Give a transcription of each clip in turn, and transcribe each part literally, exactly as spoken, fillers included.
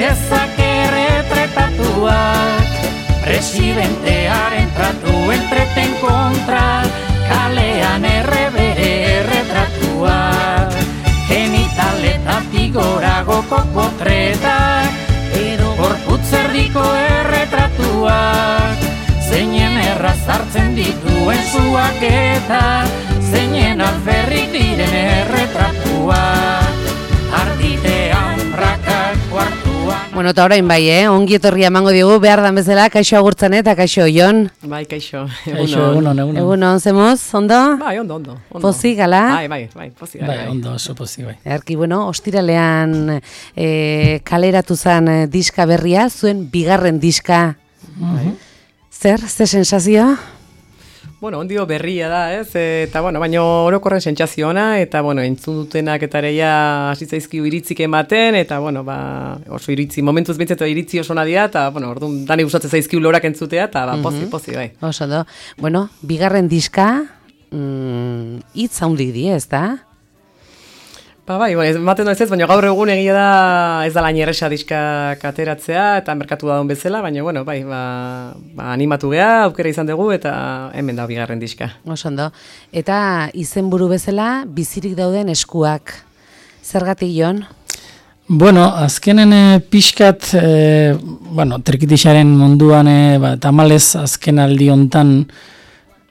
piezak erretratatuak, presidentearen tratuen treten kontra, kalean errebere erretratuak, genitaletatik goragoko potretak, edo gorputzerdiko erretratuak, zeinen erraz hartzen dituen zuak eta zeinen alferrik diren erretratuak, arditean prakak kuartuan. Bueno, eta orain bai, eh? Ongi etorria emango diogu, behar dan bezala, kaixo agurtzen eta kaixo Jon. Bai, kaixo. Kaixo, egunon, egunon. Egunon, zemoz, ondo? Bai, ondo, ondo. ondo. Pozik, gala? Bai, bai, bai, pozik, bai. Bai, ondo, oso pozik, bai. Erki, bueno, ostiralean eh, kaleratu zen eh, diska berria, zuen bigarren diska. Bai. Zer, ze sensazioa? Bueno, ondio berria da, ez? Eta, bueno, baina orokorren sentsazio ona, eta, bueno, entzun dutenak eta areia hasi zaizkiu iritzik ematen, eta, bueno, ba, oso iritzi, momentuz bintzatu iritzi oso nadia, eta, bueno, orduan, dani gustatzen zaizkiu lorak entzutea, eta, ba, pozi, pozi, bai. Oso do. Bueno, bigarren diska, mm, hitz handik di, ez da? Ba, bai, bueno, ematen ez ez, baina gaur egun egia da ez da lain erresa diska kateratzea, eta merkatu da bezala, baina, bueno, bai, ba, ba, animatu geha, aukera izan dugu, eta hemen da bigarren diska. Oso ondo. Eta izenburu bezala, bizirik dauden eskuak. Zergatik, Jon? Bueno, azkenen e, pixkat, e, bueno, trikitixaren munduan, e, ba, tamalez azken aldi hontan,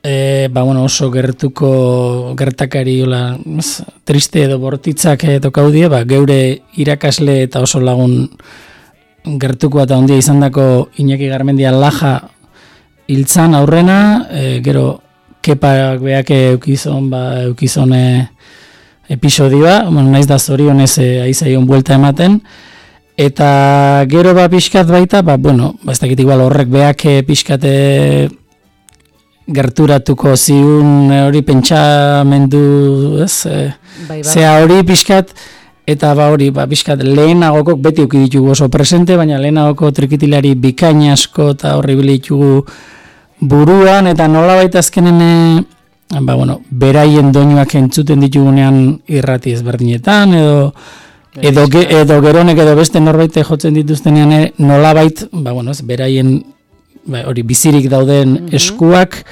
E, ba, bueno, oso gertuko gertakari ola, ez, triste edo bortitzak edo kaudie, ba, geure irakasle eta oso lagun gertuko eta ondia izandako Iñaki Garmendia Laja hiltzan aurrena, e, gero kepak beak eukizon, ba, eukizon e, episodioa, bueno, naiz da zorionez e, aizaion buelta ematen, eta gero ba pixkat baita, ba, bueno, ba, ez dakit igual horrek beak e, pixkat e, gerturatuko ziun hori pentsamendu, ez? E, bai, bai. Zea hori pixkat, eta ba hori, ba pixkat lehenagokok beti uki ditugu oso presente, baina lehenagoko trikitilari bikain asko eta horri bile ditugu buruan, eta nola baita azkenen, ba bueno, beraien doinuak entzuten ditugunean irrati ezberdinetan, edo edo, ge, edo geronek edo beste norbait jotzen dituztenean nolabait, ba bueno, ez, beraien ba, hori bizirik dauden mm-hmm. eskuak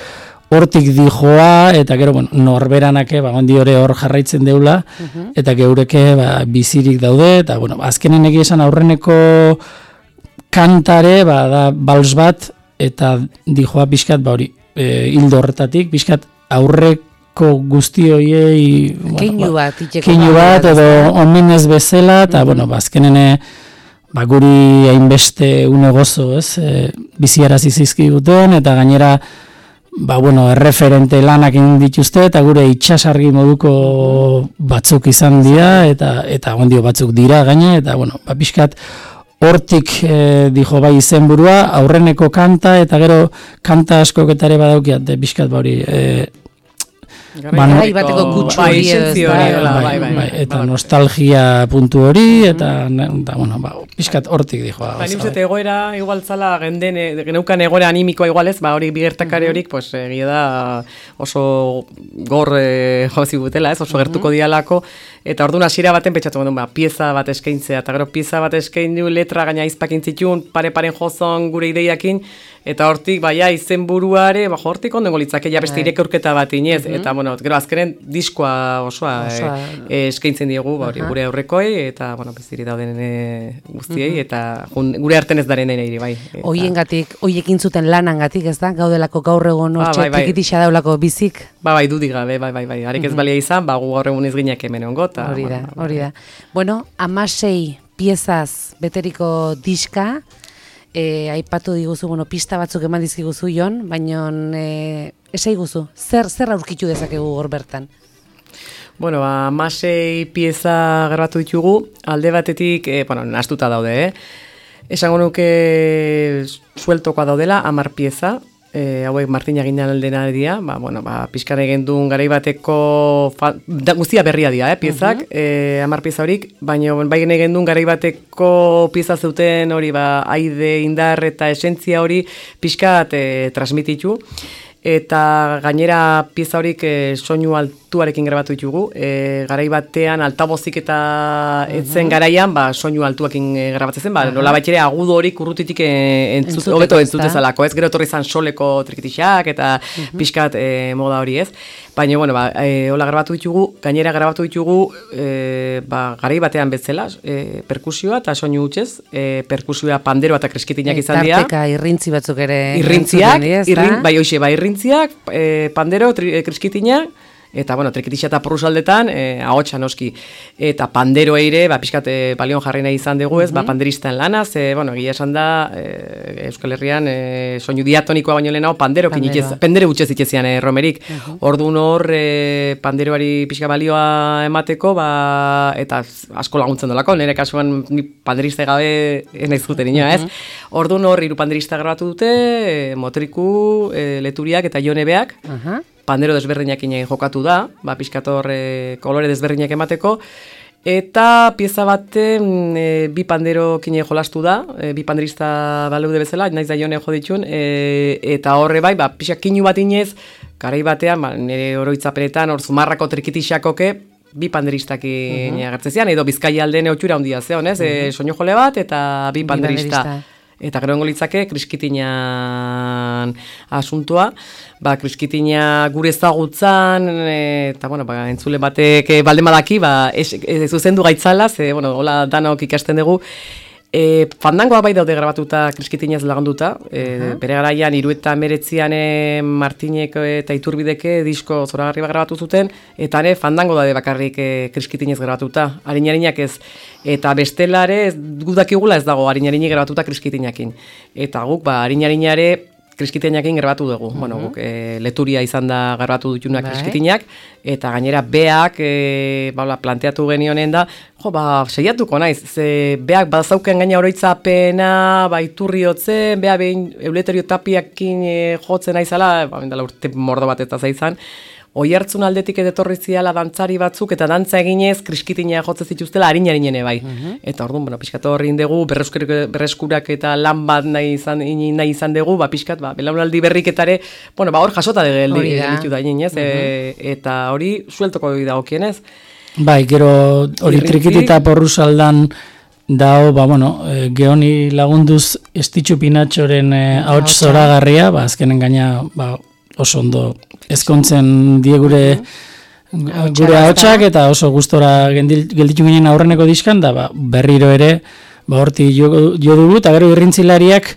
hortik dijoa, eta gero bueno, norberanake ba ondi hori hor jarraitzen deula, mm-hmm. eta geureke ba, bizirik daude, eta bueno, azkenen egia esan aurreneko kantare ba, da bals bat, eta dijoa pixkat ba hori e, hildo horretatik, pixkat aurreko guzti horiei keinu bueno, bat, ba, keinu bat, edo omenez bezala, eta mm-hmm. bueno, ba, azkenene ba, guri hainbeste une gozo, ez, e, biziarazi zizkiguten, eta gainera, ba, bueno, erreferente lanak egin dituzte, eta gure itxasargi moduko batzuk izan dira, eta eta ondio batzuk dira gaine, eta, bueno, ba, pixkat, hortik e, dijo bai izenburua, aurreneko kanta, eta gero kanta askoketare badaukiat, e, pixkat, ba, hori, e, Garai bateko kutsu hori, bai, bai, eta nostalgia puntu hori, eta, eta bueno, ba, pixkat hortik dijoa. Ba, ni uste egoera, igual zala, genden, geneukan egoera animikoa igualez, ba, hori bigertakare horik, pues, egia da oso gor e, jozi gutela, ez, oso gertuko dialako, eta orduan hasiera baten pentsatu gondun, ba, pieza bat eskaintzea, eta gero pieza bat eskaindu, letra gaina izpakin zitun, pare-paren jozon gure ideiakin, eta hortik, baia, izen buruare, ba, hortik ondengo litzake, ja beste irek aurketa bat inez, mm-hmm. eta, bueno, gero azkenen diskoa osoa, osoa. E, e, eskaintzen diegu, ba, hori, gure aurrekoi, eta, bueno, beziri dauden e, guztiei, mm-hmm. eta jun, gure arten ez daren ere, bai. Eta... Oiengatik, oiekin zuten lanangatik, ez da, gaudelako gaur egon, ba, hortxe, bai, bai. tikitixa daulako bizik. Ba, bai, dudik gabe, bai, bai, bai, harek ez mm-hmm. balia izan, ba, gu gaur egun ez gineak hemen ongo, eta... Hori da, bueno, hori da. Bueno, amasei piezaz beteriko diska, E, aipatu diguzu, bueno, pista batzuk eman dizkiguzu Jon, baina e, esai guzu, zer, zer aurkitu dezakegu hor bertan? Bueno, amasei pieza grabatu ditugu, alde batetik, e, bueno, nahastuta daude, eh? Esango nuke sueltokoa daudela, hamar pieza, e, hauek Martina Gindan aldena dira, ba, bueno, ba, pixkare gendun garai bateko, fa, da, guztia berria dira, eh, piezak, uh-huh. e, hamar pieza horik, baina bai gene gendun garai bateko pieza zuten hori, ba, aide, indar eta esentzia hori pixkat e, transmititu, eta gainera pieza horik e, soinu alt, altuarekin grabatu ditugu, e, garai batean altabozik eta etzen garaian, ba, soinu altuakin e, grabatzen zen, ba, nola bat ere agudo horik urrutitik e, entzut, hobeto entzutezalako, ez? Gero etorri izan soleko trikitixak eta uh-huh. pixkat e, moda hori, ez? Baina, bueno, ba, e, hola grabatu ditugu, gainera grabatu ditugu, e, ba, garai batean bezala, e, perkusioa eta soinu hutsez, e, perkusioa panderoa eta kreskitinak izan dira. Tarteka irrintzi batzuk ere. Irrintziak, irrin, bai hoxe, bai irrintziak, e, pandero, tri, kreskitinak, eta, bueno, trikitixa eta porrusaldetan, e, ahotsa noski. Eta pandero eire, ba, pixkat e, balion jarri nahi izan dugu, ez, uh-huh. ba, panderistan lana, ze, bueno, egia esan da, e, Euskal Herrian, e, soinu diatonikoa baino lehenago, pandero, pandero. Pendere utxez itxezian e, romerik. Uh-huh. Orduan hor, e, panderoari pixka balioa emateko, ba, eta asko laguntzen dolako, nire kasuan ni panderista gabe ez nahi zuten inoa, ez? Uh-huh. Orduan hor, hiru panderista grabatu dute, e, motriku, e, leturiak eta jonebeak, uh-huh. pandero desberdinak inen jokatu da, ba, pixkator e, kolore desberdinak emateko, eta pieza baten e, bi pandero kine jolastu da, e, bi panderista baleude bezala, naiz da jone jo ditun, e, eta horre bai, ba, pixak kinu bat inez, garai batean, ba, nire oroitzapenetan, hor zumarrako trikitixakoke, bi panderistak uh-huh. agertzezian, edo Bizkaia aldean eutxura handia zeon, ez? Uh-huh. E, soinu jole bat, eta bi panderista. Bi panderista. Eta gero engo litzake, kriskitinan asuntua, ba, kriskitina gure ezagutzan, eta, bueno, ba, entzule batek balde badaki, ba, ez, ez zuzendu gaitzala, ze, bueno, hola danok ikasten dugu, E, fandangoa bai daude grabatuta kriskitinez lagunduta, e, uh-huh. bere garaian hiru eta hemeretzian Martinek eta Iturbideke disko zoragarri bat grabatu zuten, eta ere fandango daude bakarrik e, kriskitinez grabatuta, harinarinak ez, eta bestelare ez, gudakigula ez dago harinarinik grabatuta kriskitinakin, eta guk ba harinarinare kriskitinakin grabatu dugu, uh-huh. bueno, guk e, leturia izan da grabatu dutunak kriskitinak, eta gainera beak e, baula, planteatu genionen da, jo, ba, seiatuko naiz, ze beak bazauken gaina oroitzapena, ba, iturri hotzen, bea behin Euleterio Tapiakin e, jotzen naizala, ba, bendala urte mordo bat eta zaizan, Oihartzun aldetik etorri ziala dantzari batzuk eta dantza eginez kriskitina jotze zituztela harin-harinene bai. Uh-huh. Eta orduan, bueno, pixkat horri indegu, berreskurak eta lan bat nahi izan, nahi izan dugu, ba, pixkat, ba, belaunaldi berriketare, bueno, ba, hor jasota ditu da inez, uh-huh. e, eta hori sueltoko dagokienez. Bai, gero hori trikitita porrusaldan dao, ba, bueno, e, geoni lagunduz Estitxu Pinatxoren e, ahots zoragarria, ba, azkenen gaina, ba, oso ondo ezkontzen die gure uh-huh. gure ahotsak eta oso gustora gelditu ginen aurreneko diskan da ba, berriro ere ba horti jo, jo dugu eta gero irrintzilariak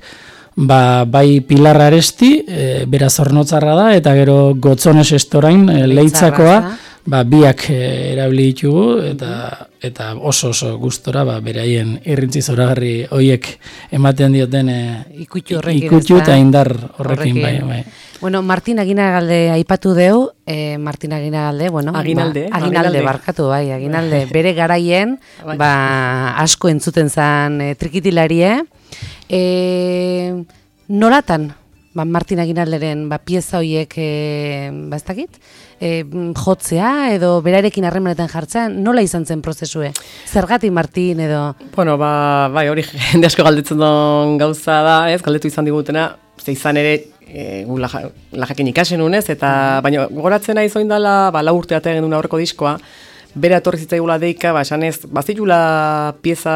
ba, bai Pilar Aresti e, bera Zornotzarra da eta gero Gotzones Estorain e, Leitzakoa ba, biak e, erabili ditugu eta eta oso oso gustora ba, beraien irrintzi zoragarri hoiek ematen dioten e, ikutxu horrekin ikutxu eta indar horrekin, horrekin. bai bai. Bueno, Martin Aginagalde aipatu deu, eh, Martin Aginagalde, bueno, Aginalde, ba, Aginalde, Aginalde barkatu, bai, Aginalde, bere garaien, ba, asko entzuten zan e, trikitilarie. E, nolatan, ba, Martin Aginalderen, ba, pieza hoiek, e, ba, ez dakit, e, jotzea, edo berarekin harremanetan jartzean, nola izan zen prozesue? Zergatik Martin, edo? Bueno, ba, bai, hori jende asko galdetzen duen gauza da, ez, galdetu izan digutena, ze izan ere, E, gu lajakin ikasen unez, eta baina goratzen nahi zoin dela, ba, lau urte atea genuen aurreko diskoa, bere atorri zitzaigula deika, ba, esan ez, bazitula pieza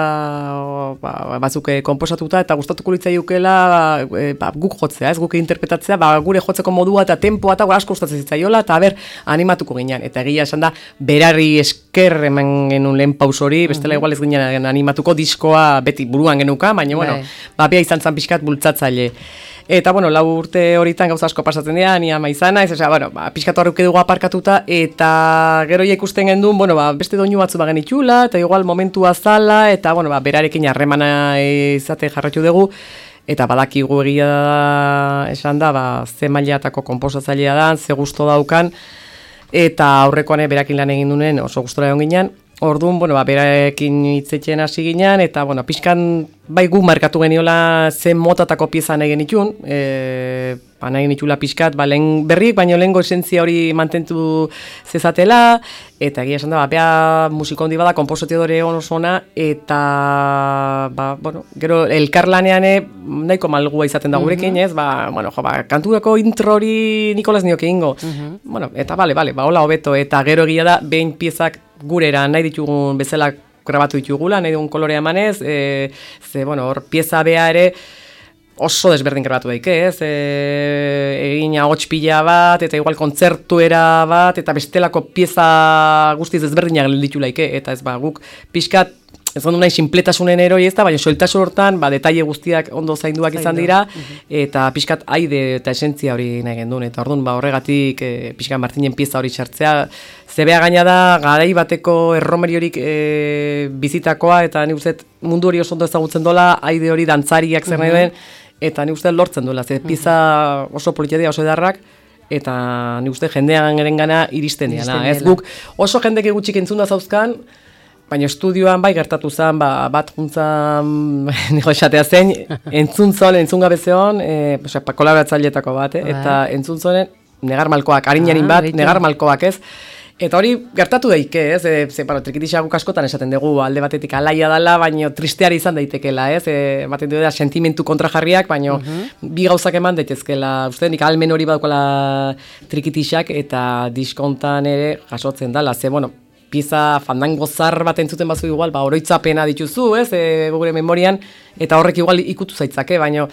ba, batzuk konposatuta, eta gustatuko litzaiukela e, ba, guk jotzea, ez guk interpretatzea, ba, gure jotzeko modua eta tempoa eta asko gustatzen zitzaiola, eta ber, animatuko ginen, eta egia esan da, berari esker eman genuen lehen paus hori, bestela igual ez ginen animatuko diskoa beti buruan genuka, baina, bueno, ba, bia izan zan pixkat bultzatzaile. Eta, bueno, lau urte horitan gauza asko pasatzen dira, ni ama izana, ez, bueno, ba, pixkatu horreuke dugu aparkatuta, eta gero ja ikusten gendun, bueno, ba, beste doinu batzu bagen itxula, eta igual momentua zala, eta, bueno, ba, berarekin harremana izate jarratu dugu, eta badakigu egia da, esan da, ba, ze mailiatako konposatzailea da, ze gusto daukan, eta aurrekoan berakin lan egin duen oso gustora egon ginen, Orduan, bueno, ba, beraekin hitzetzen hasi ginean, eta, bueno, pixkan, bai gu markatu geniola zen motatako pieza nahi genitun, e, ba, nahi genitula pixkat, ba, lehen berrik, baina lehengo esentzia hori mantentu zezatela, eta egia esan da, ba, bea musiko handi bada, kompositore onosona, eta, ba, bueno, gero, elkarlanean nahiko malgua izaten da gurekin, ez, ba, bueno, jo, ba, kanturako intro hori Nikolas nioke ingo, bueno, eta, bale, bale, ba, hola hobeto, eta gero egia da, behin piezak gurera nahi ditugun bezala grabatu ditugula, nahi dugun kolorea emanez, e, ze, bueno, hor pieza bea ere oso desberdin grabatu daike, ez, e, egin ahots pila bat, eta igual kontzertuera bat, eta bestelako pieza guztiz desberdinak ditu laike, eta ez ba, guk pixkat, ez gondu nahi sinpletasunen eroi ez da, baina soiltasun hortan, ba, detaile guztiak ondo zainduak izan dira, eta pixkat aide eta esentzia hori nahi gendun, eta orduan, ba, horregatik e, pixkat Martinen pieza hori sartzea, zebea gaina da, garai bateko erromeriorik e, bizitakoa, eta ni uste mundu hori oso ondo ezagutzen dola, aide hori dantzariak zer nahi duen, eta ni uste lortzen duela, ze pieza oso politiadia oso edarrak, eta ni uste jendean erengana iristen diana, ez guk oso jendek gutxik entzun da zauzkan, baina estudioan bai gertatu zen, ba, bat juntzan, niko esatea zen, entzun zon, entzun gabe zeon, e, kolaboratzaileetako bat, eh? Eta entzun zonen, negar malkoak, harinarin bat, negar malkoak ez, eta hori gertatu daike, ez, e, ze, bueno, trikitisa guk askotan esaten dugu, alde batetik alaia dala, baina tristeari izan daitekela, ez, e, baten du da sentimentu kontrajarriak, baina bi gauzak eman daitezkela, uste, nik almen hori badukala trikitisak, eta diskontan ere jasotzen dala, ze, bueno, pieza fandango zar bat entzuten bazu igual, ba, oroitzapena dituzu, ez, e, gure memorian, eta horrek igual ikutu zaitzake, baina,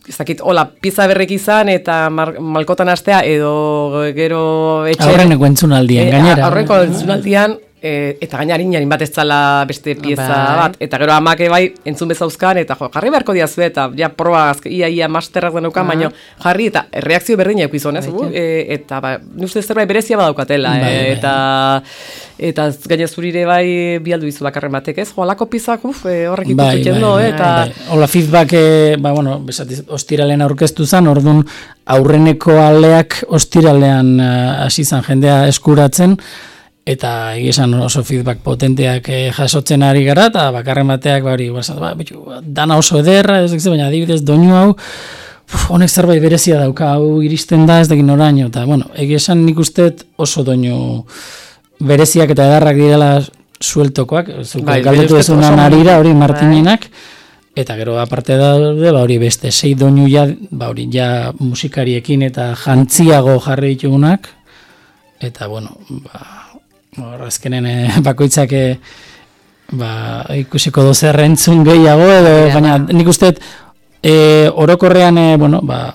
ez dakit, hola, pieza berrek izan, eta mar, malkotan astea, edo gero etxe... Aurreneko entzunaldian, e, gainera. Aurreneko entzunaldian, e, eta gaina harinarin bat ez zala beste pieza Bai. bat, eta gero amake bai entzun bezauzkan, eta jo, jarri beharko diazu, eta ja, proba, ia, ia masterrak denukan, baina jarri, eta reakzio berdina eukizon, ez, uh, e, eta ba, uste zerbait berezia badaukatela, Bai, e, bai. eta... Eta gaina zurire bai bialdu izu bakarren batek, ez? Jo, alako pizak, uf, e, horrek ikutu Bai, txendo, bai, eta... bai. Hola, feedback, e, ba, bueno, besatiz, ostiralean aurkeztu zen, orduan aurreneko aleak ostiralean hasi uh, zen jendea eskuratzen, eta egizan oso feedback potenteak eh, jasotzen ari gara, eta bakarren bateak, ba, hori, ba, bitu, dana oso ederra, ez dakit, baina adibidez doinu hau, uf, honek zerbait berezia dauka, hau iristen da, ez dakit noraino, eta, bueno, egizan nik usteet oso doinu bereziak eta edarrak direla sueltokoak, Bai, galdetu uste ezunan oso- arira, hori Martinenak, eta gero aparte daude, ba hori beste sei doinu ja, ba hori ja musikariekin eta jantziago jarri ditugunak, eta bueno, ba, hor azkenen eh, bakoitzak eh, ba, ikusiko dozer entzun gehiago, edo, baina nik uste eh, orokorrean, eh, bueno, ba,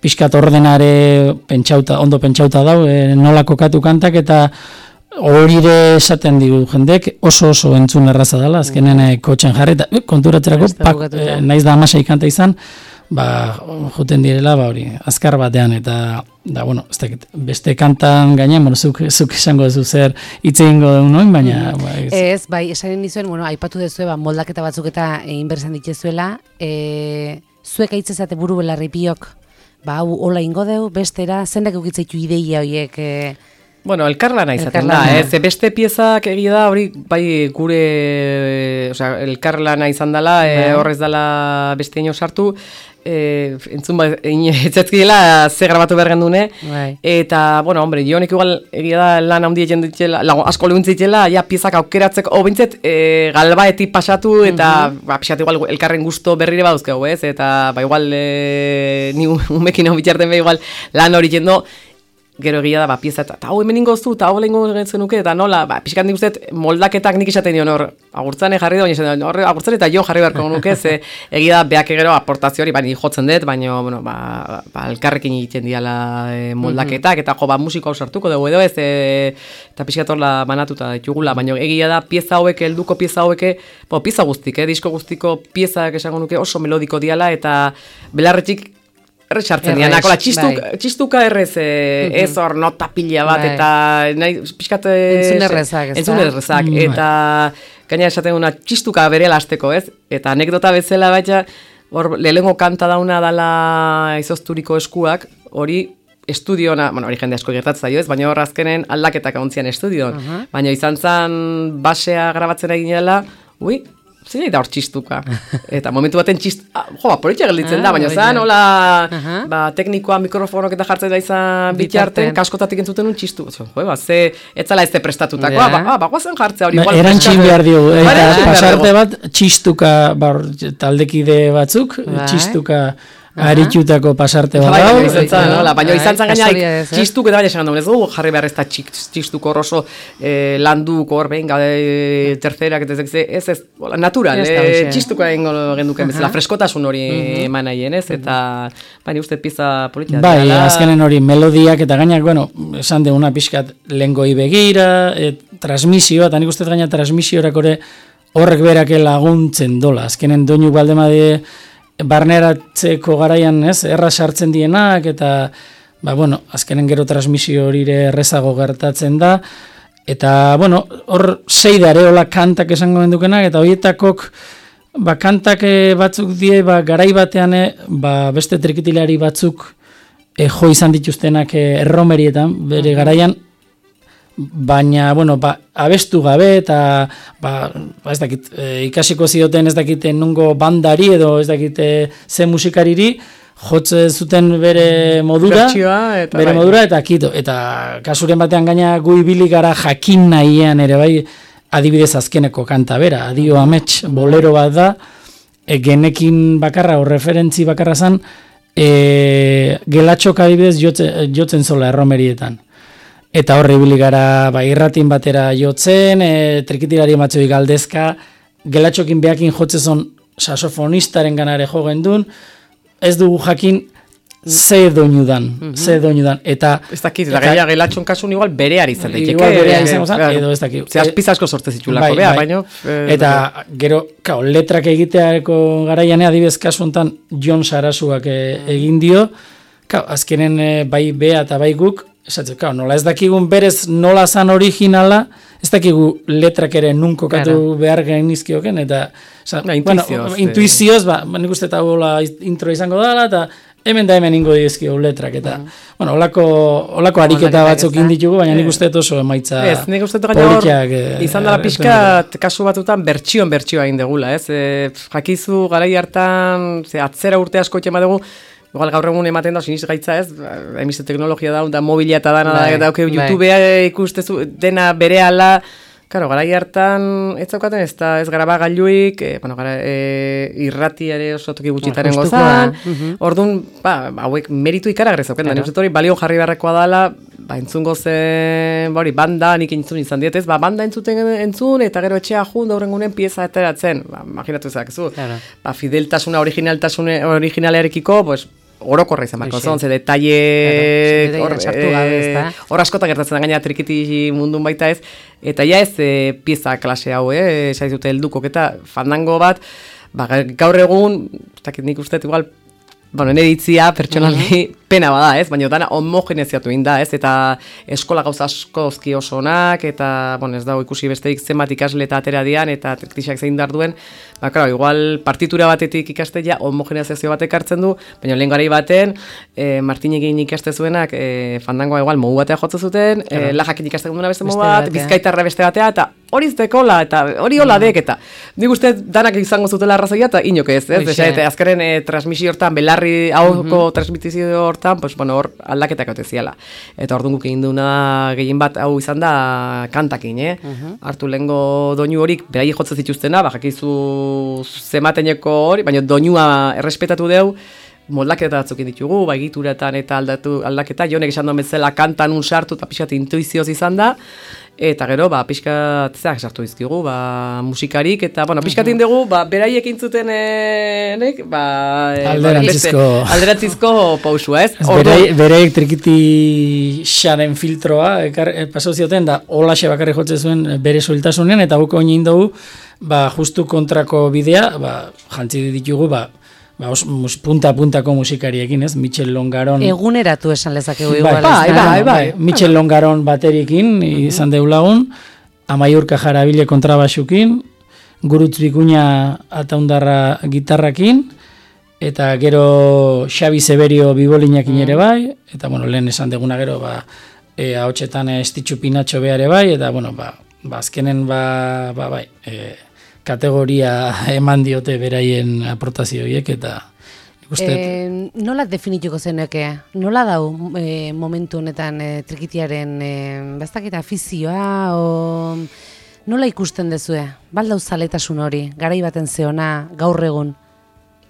pixkat ordenare pentsauta, ondo pentsauta dau, eh, nola kokatu kantak, eta horire esaten digu jendek oso oso entzun erraza dela, azkenen eh, kotxen jarri, eta eh, konturatzerako, Beste pak, bukatuta. eh, naiz da amasei kanta izan, ba, juten direla, ba, hori, azkar batean, eta, da, bueno, ez dakit, beste kantan gainean, bueno, zuk, zuk esango duzu zer hitz egingo duen noin, baina, ba, ez, Ez, bai, esanen nizuen, bueno, aipatu dezue, ba, moldaketa batzuk eta egin berzan dituzuela, e, zuek aitzezate buru belarri biok, ba, hau, hola ingo deu, bestera, zendak eukitzaitu ideia horiek, e, Bueno, elkarlana izaten da, Elkarlana. ez, beste piezak egia da, hori, bai, gure, osea, elkarlana izan dela, e, Bai. horrez dela beste ino sartu, e, entzun ba, etzatzkiela ze grabatu behar gendune, bai. eta, bueno, hombre, jonek igual egia da lan handi egin ditela, lago, asko lehuntzitzela, ja piezak aukeratzeko, o bintzet, e, galbaetik pasatu, eta, ba, pixat igual, elkarren gusto berrire baduzkegu, ez, eta, ba, igual, e, ni umekin hau bitxarten be, igual, lan hori jendo, gero egia da, ba, pieza, eta hau hemen ingoztu, eta hau lehenko zenuke, eta nola, ba, pixkat nik usteet, moldaketak nik esaten dion hor, agurtzane jarri da, baina esaten dion, hor, agurtzane eta jo jarri beharko nuke, ze egia da, beak gero aportazio hori, baina jotzen dut, baina, bueno, ba, ba elkarrekin egiten diala e, moldaketak, eta jo, ba, musiko hau sartuko dugu edo ez, e, eta pixkat horla banatuta ditugula, baina egia da, pieza hauek, helduko pieza hauek, bo, pieza guztik, eh, disko guztiko piezak esango nuke oso melodiko diala, eta belarretxik erre sartzen Errez, dianak, hola, txistuk, bai. txistuka errez, e, ez hor nota pila bat, Bai. eta nahi, pixkat... e, Entzun errezak, ez entzun da? errezak, Mm, bai. eta gaina esaten duna txistuka bere lasteko, ez? Eta anekdota bezala baita, hor lehengo kanta dauna dala izozturiko eskuak, hori estudiona, bueno, hori jende asko gertatzen zaio ez, baina hor azkenen aldaketak ontzian estudion. Uh -huh. Baina izan zen basea grabatzen egin dela, ui, zein da hor txistuka. Eta momentu baten txist, ah, jo, ba, politxea gelditzen ah, da, baina zan, hola, uh -huh. ba, teknikoa mikrofonok eta jartzen da izan bitarten, kaskotatik entzuten un txistu. Jo, ba, ze, etzala ez te prestatutakoa, yeah. ba, ba, guazen jartzea hori. Ba, erantxin behar diogu, eta pasarte bat, txistuka, ba, taldekide batzuk, bai. Txistuka, aritutako pasarte bat dago. Baina izan zan gaina, txistuk eta baina esan ez dugu, jarri behar ez da txistuk horroso landuk hor behin, gade tercerak, ez ez, natural, txistuko egin genduken bezala, freskotasun hori eman nahien ez, eta baina uste pizza politia. Bai, azkenen hori melodiak eta gainak, bueno, esan deguna pixkat lengoi begira, transmisioa, eta nik uste gaina transmisiorak horrek berake laguntzen dola, azkenen doinu baldemade barneratzeko garaian, ez, erra sartzen dienak, eta, ba, bueno, azkenen gero transmisio horire errezago gertatzen da, eta, bueno, hor sei dare hola kantak esango mendukenak, eta horietakok, ba, kantak batzuk die, ba, garai batean, ba, beste trikitilari batzuk e, jo izan dituztenak e, erromerietan, bere garaian, baina, bueno, ba, abestu gabe eta ba, ba ez dakit, e, ikasiko zioten ez dakite nungo bandari edo ez dakite ze musikariri jotze zuten bere modura, eta bere bai. modura eta kito, eta kasuren batean gaina gu ibili gara jakin nahian ere bai, adibidez azkeneko kanta bera, adio amets bolero bat da, e, genekin bakarra o referentzi bakarra zan, e, gelatxok adibidez jotzen, jotzen zola erromerietan. Eta horre ibili gara ba, irratin batera jotzen, e, trikitilari matxoi galdezka, gelatxokin behakin jotzezon saxofonistaren ganare jo gendun, ez dugu jakin ze doinu dan, mm -hmm. ze doinu dan. Eta, ez dakit, eta gaia gelatxon kasun igual bereari izan daiteke. Igual bereari izan zan, edo ez dakit. Ze azpizasko sortze zitulako, bai, bea, bai. baino. Eh, eta gero, kao, letrak egiteako garaian adibidez kasu honetan Jon Sarasuak e, egin dio, kao, azkenen e, bai bea eta bai guk, esatzen, kao, nola ez dakigun berez nola zan originala, ez dakigu letrak ere nunko katu claro. behar genizkioken, eta oza, no, intuizioz, bueno, intuizioz, ba, nik uste eta hola intro izango dela, eta hemen da hemen ingo dizkio letrak, eta, mm. bueno, olako, olako ariketa batzuk inditugu, baina nik uste oso emaitza ez, nik uste polikiak. E, izan dela pixka, kasu batutan bertxion bertxioa indegula, ez? E, jakizu, garai hartan, ze, atzera urte asko itxema dugu, igual gaur egun ematen da, siniz gaitza ez, emize teknologia da, da mobila eta dana, bai, da, okay, YouTubea ikustezu dena berehala, karo, garai hartan ez zaukaten ez da ez graba gailuik, e, bueno, gara, e, irratiare oso toki gutxitaren gozan, uh-huh. Orduan, ba, hauek meritu ikaragarri zauken, claro. Da, nik hori balio jarri beharrekoa dela, ba, entzungo zen, ba, hori, banda, nik entzun izan dietez, ba, banda entzuten entzun, eta gero etxea jun, daurengunen pieza eteratzen, ba, imaginatu ezakezu, claro. Ba, fideltasuna, originaltasune, originalearekiko, pues, orokorra izan barko, zon, ze detaile hor askotan gertatzen da gaina trikiti mundun baita ez, eta ja ez e, pieza klase hau, eh, esaiz dute heldukok eta fandango bat, ba, gaur egun, nik uste igual, bueno, neditzia, pertsonalki, uh-huh. pena bada, ez, baina dana homogeneziatu inda, ez, eta eskola gauza askozki oso onak, eta, bueno, ez dago ikusi besteik zenbat ikasle eta atera dian, eta triktixak zein dar duen, ba, claro, igual partitura batetik ikaste ja homogeneziazio batek hartzen du, baina lehen garai baten, e, Martinekin ikaste zuenak, e, fandangoa igual mogu batea jotzen zuten, claro. e, lajakin ikaste duna beste mogu bat, bizkaitarra beste batea, eta hori zekola, eta hori hola dek, eta nik uste danak izango zutela arrazoia, eta inok ez, ez, ez, eta azkaren e, transmisio hortan, belarri hauko uh-huh. transmitizio hortan, pues, bueno, hor aldaketak haute ziala. Eta orduan guk egin duna gehien bat hau izan da kantakin, eh? Uh-huh. Hartu lehengo doinu horik, berai jotzen zituztena, ba, jakizu zemateneko hori, baina doinua errespetatu deu, moldaketa batzuk ditugu, ba, egituratan eta aldatu, aldaketa, jonek esan duen bezala kantan un sartu, eta pixkat intuizioz izan da, eta gero, ba, pixkat, zeak sartu dizkigu, ba, musikarik, eta, bueno, pixkat indegu, ba, beraiek intzuten, e, nek, ba, e, alderantzizko, ba, alderantzizko pausua, ez? Beraiek beraiek trikiti xaren filtroa, ekar, e, paso zioten, da, holaxe bakarri jotze zuen bere soiltasunean, eta buko oin dugu, ba, justu kontrako bidea, ba, jantzi ditugu, ba, ba, os, mus, punta-puntako musikariekin, ez? Michel Longaron... Eguneratu esan lezakegu igual. Bai, bai, bai, bai. Michel Longaron baterikin, izan deulagun, Amaiurka Jarabile kontrabasukin, Gurutz Bikuña ataundarra gitarrakin, eta gero Xabi Severio Bibolinakin ere bai, eta bueno, lehen esan deguna gero, ba, e, ahotsetan Estitxu Pinatxo beare bai, eta bueno, ba, ba azkenen ba, ba bai, e, kategoria eman diote beraien aportazioiek, eta uste... E, nola definituko zeneke? Nola dau e, momentu honetan e, trikitiaren e, bastaketa afizioa, o nola ikusten dezue? Baldau zaletasun hori, garai baten zeona, gaur egun,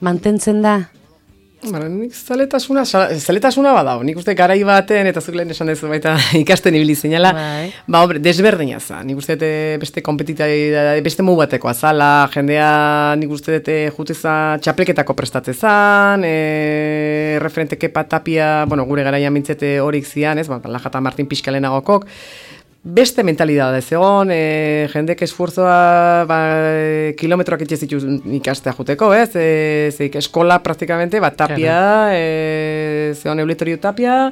mantentzen da? Bara, nik zaletasuna, zaletasuna badao, nik uste garai baten, eta zuk lehen esan dezu baita ikasten ibili zinela, bai. Ba, hombre, desberdina za, nik uste beste kompetitari, beste mu bateko azala, jendea nik uste dute juteza txapelketako prestatzezan, e, referente Kepa Tapia, bueno, gure garaian mintzete horik zian, ez, ba, Lajata Martin pixkalenagokok, beste mentalidade zegoen, e, jendek esfuerzoa ba, kilometroak itxezitu ikastea juteko, ez? E, zeik eskola praktikamente, ba, Tapia, e, zegoen Euletorio Tapia,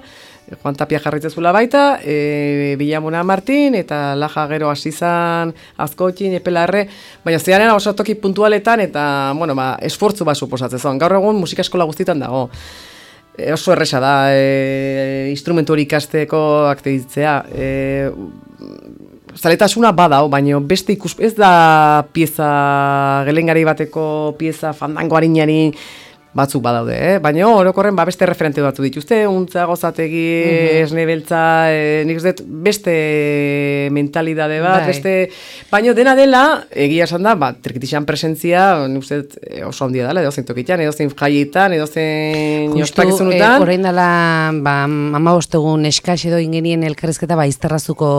Juan Tapia jarritzezula baita, e, Villamuna Martin, eta Laja gero asizan, Azkoitin, Epelarre, baina zearen oso toki puntualetan, eta, bueno, ba, esfortzu bat suposatzen. Gaur egun musika eskola guztitan dago. E, oso erresa da, e, instrumentu hori ikasteko aktibitzea. E, zaletasuna badao, baina beste ikus, ez da pieza, gelengari bateko pieza, fandango harinari batzuk badaude, eh? Baina orokorren ba, beste referente batzu dituzte, Untza, Gozategi, mm-hmm. Esne Beltza, e, nik uste beste mentalidade bat, Dai. beste... Baina dena dela, egia esan da, ba, trikitixan presentzia, nik uste oso handia dela, edo zein tokitan, edo zein jaietan, edo zein ospakizunutan. Justu, orain dela, ba, amabost egun eskax edo ingenien elkarrezketa, ba, izterrazuko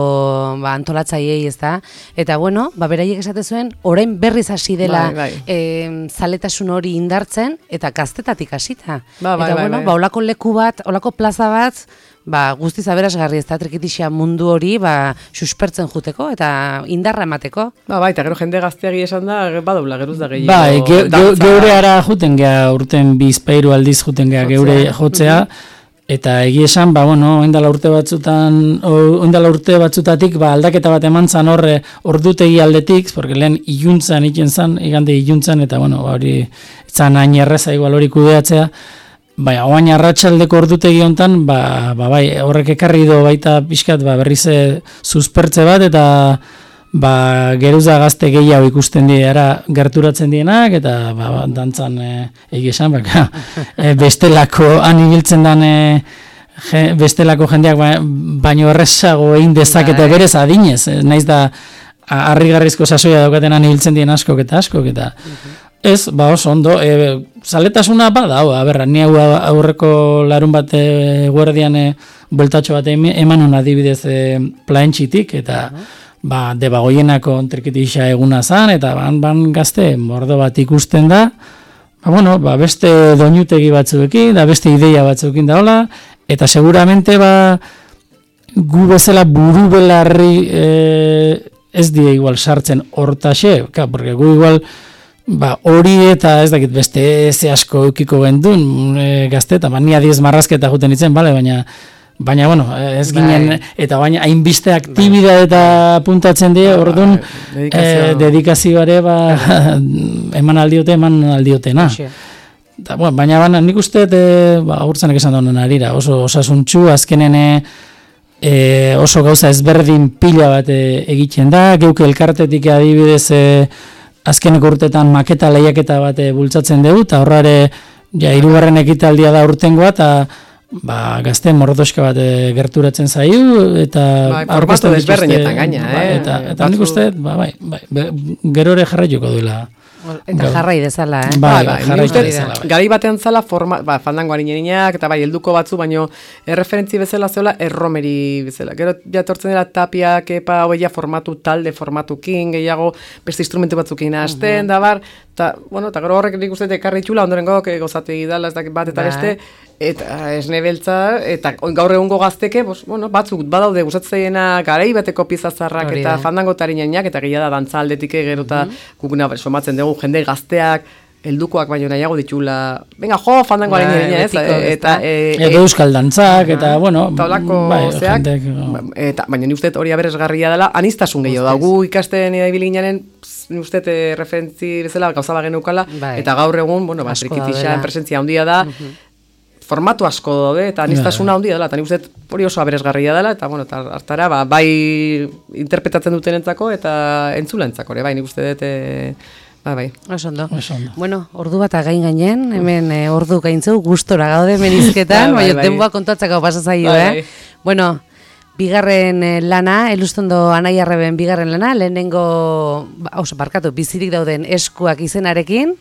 ba, antolatzaiei, ez da? Eta, bueno, ba, beraiek esate zuen, orain berriz hasi dela bai, bai. E, zaletasun hori indartzen, eta gaztetatik hasita. Ba, bai, eta, bai, bueno, bai. ba, olako leku bat, olako plaza bat, ba, guztiz aberasgarri ez da trikitixia mundu hori, ba, suspertzen juteko, eta indarra emateko. Ba, bai, eta gero jende gazteagi esan da, badabla, geruz da gehiago. Bai, ge, ge, geure ara juten geha, urten bizpairu aldiz juten geha geure jotzea, eta egia esan, ba, bueno, oindala urte batzutan, oindala urte batzutatik, ba, aldaketa bat eman zan horre, ordutegi aldetik, porque lehen iluntzan iten zan, igande iluntzan, eta, bueno, hori, zan hain erreza igual hori kudeatzea, bai, oain arratsaldeko ordutegi hontan, ba, ba, bai, horrek ekarri do baita pixkat, ba, berrize suspertze bat, eta, ba, geruza gazte gehiago ikusten dira gerturatzen dienak, eta, ba, dantzan e, egizan, ba, e, bestelako, han ibiltzen dan, e, je, bestelako jendeak, ba, baino errezago egin dezakete berez adinez, e, naiz da, harrigarrizko sasoia daukaten han ibiltzen dien askok eta askok, eta, ez, ba oso ondo, e, zaletasuna bada, hau, aberra, ni hau aurreko larun bat e, guardian e, bueltatxo bat emanun adibidez e, plaentxitik, eta ba, debagoienako trikitixa eguna zan, eta ban, ban gazte, mordo bat ikusten da, ba, bueno, ba, beste doinutegi batzuekin, da beste ideia batzuekin da hola, eta seguramente ba, gu bezala buru belarri e, ez die igual sartzen hortaxe, ka, porque gu igual ba, hori eta ez dakit beste ze asko eukiko gendun e, gazte, eta ba, nia diez marrazketa juten itzen, bale, baina, baina, bueno, ez ginen, bai. Eta baina, hainbiste aktibidade eta puntatzen die, bai, orduan, bai, dedikazio. E, dedikazioare, ba, eman aldiote, eman aldiotena. Da, bueno, baina, baina, nik uste, e, ba, agurtzanek esan donen arira, oso osasuntxu, azkenen e, oso gauza ezberdin pila bat e, egiten da, geuke elkartetik adibidez, e, azkeneko urtetan maketa lehiaketa bat bultzatzen dugu, eta horrare ja, hirugarren ekitaldia da urtengoa, eta ba, gazte mordoska bat e, gerturatzen zaiu, eta bai, formatu desberdinetan gaina, ba, eh? Eta, eta nik uste, ba, bai, bai, be, gero ere jarraituko duela. Eta jarrai dezala, eh? Bai, bai, jarrai dezala. Bai. Gari batean zala, forma, ba, fandango harinerinak, eta bai, helduko batzu, baino erreferentzi bezala zeola, erromeri bezala. Gero jatortzen dela Tapia, Kepa, hoia formatu talde, formatukin, gehiago, beste instrumentu batzukin hasten, uh-huh. da bar, eta, bueno, eta gero horrek nik uste ekarri txula, ondorengo, gozategi dala, ez dakit bat eta beste, eta Esne Beltza, eta gaur egungo gazteke, bos, bueno, batzuk badaude gustatzeiena garai bateko piezazarrak eta fandango tarinenak, eta gehiago da dantza aldetik gero eta uh-huh. gukuna somatzen dugu jende gazteak heldukoak baino nahiago ditula, venga, jo, fandangoa Bai, egin ez, betiko, eta... E, Edo euskal dantzak, eta, bueno... Taulako bai, zeak, jenteak, eta, baina ni uste hori aberesgarria dela, anistasun gehiago da, gu ikasten ibili ginen, ni uste e, referentzi bezala gauza bageneukala, Bai. eta gaur egun, bueno, ba, Asko trikitixan daudela. presentzia handia da, formatu asko daude, eta anistasuna handia dela, eta ni uste hori oso aberesgarria dela, eta, bueno, eta hartara, ba, bai interpretatzen dutenentzako, eta entzulentzako, ere, bai, nik uste dut... E, Ba, bai. Oso ondo. Oso ondo. Bueno, ordu bat gain gainen, hemen e, ordu gaintzu, gustora gaude menizketan, Bai, bai, baina bai. denboa kontatzeko pasa zaio, Bai, eh? bai. Bueno, bigarren eh, lana, Elustondo Anaiarreben bigarren lana, lehenengo, ba, oso, barkatu, bizirik dauden eskuak izenarekin,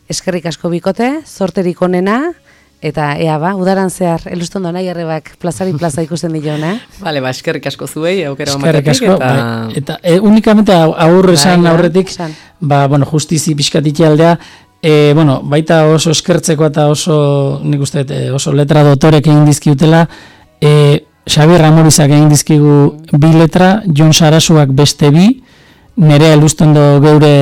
eskerrik asko bikote, zorterik onena, eta ea ba, udaran zehar, Elustondo Anaiarrebak plazari plaza ikusten dion, eh? Vale, ba, eskerrik asko zuei, aukera Eskerrik ematetik, asko, eta... bai, eta e, unikamente aurre esan Bai, aurretik, esan. ba, bueno, justizi pixkatik aldea, e, bueno, baita oso eskertzeko eta oso, nik uste, dut, e, oso letra dotorek egin dizkiutela, e, Xabier Ramorizak egin dizkigu bi letra, Jon Sarasuak beste bi, nere Elustondo geure,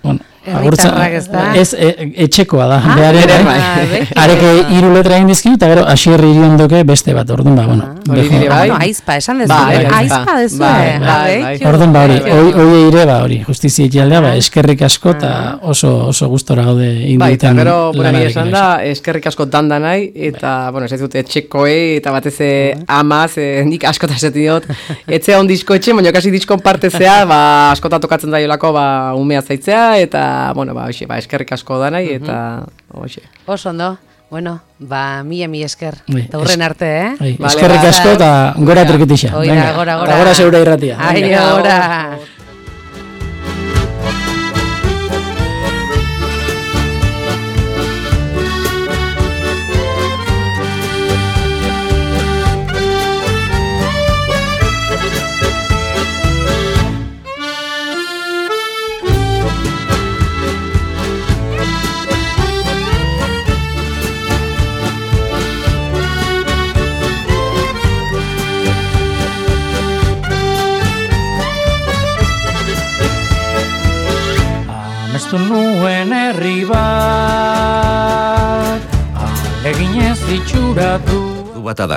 bueno, Herritarrak ez da? Ez, e, etxekoa da, Ah, behar ere, ere, bai. bai. areke hiru letra egin dizkigu, eta gero Asier Iriondoke beste bat, orduan, ba, bueno. hori bejo- dire, Ah, bai. bueno, aizpa, esan dezu, Bai, eh? bai, aizpa bai. dezu, Bai, eh? bai, Ah, bai. bai. Orduan ba hori, Bai, hoi hoi ire ba hori, justizia ekialdea, ba, eskerrik asko eta oso oso gustora gaude Bai, eta induten gero, bueno, ni esan da, eskerrik asko danda nahi, eta, bueno, ez dut etxekoei, eta batez e, amaz, e, nik askota esaten diot, etxe on disko etxe, baina kasi diskon partezea, ba, askota tokatzen da jolako, ba, umea zaitzea, eta, bueno, ba, hoxe, ba, eskerrik asko da nahi, eta, hoxe. Oso ondo. Bueno, ba, mila mi esker. Bai, Eta hurren arte, eh? Bai, Vale, eskerrik ba, asko eta gora trikitixa. Oira, Venga, gora, eta gora. gora zeure irratia. Ai, Venga, gora. Amestu nuen herri bat, aleginez itxuratu. Du bata da,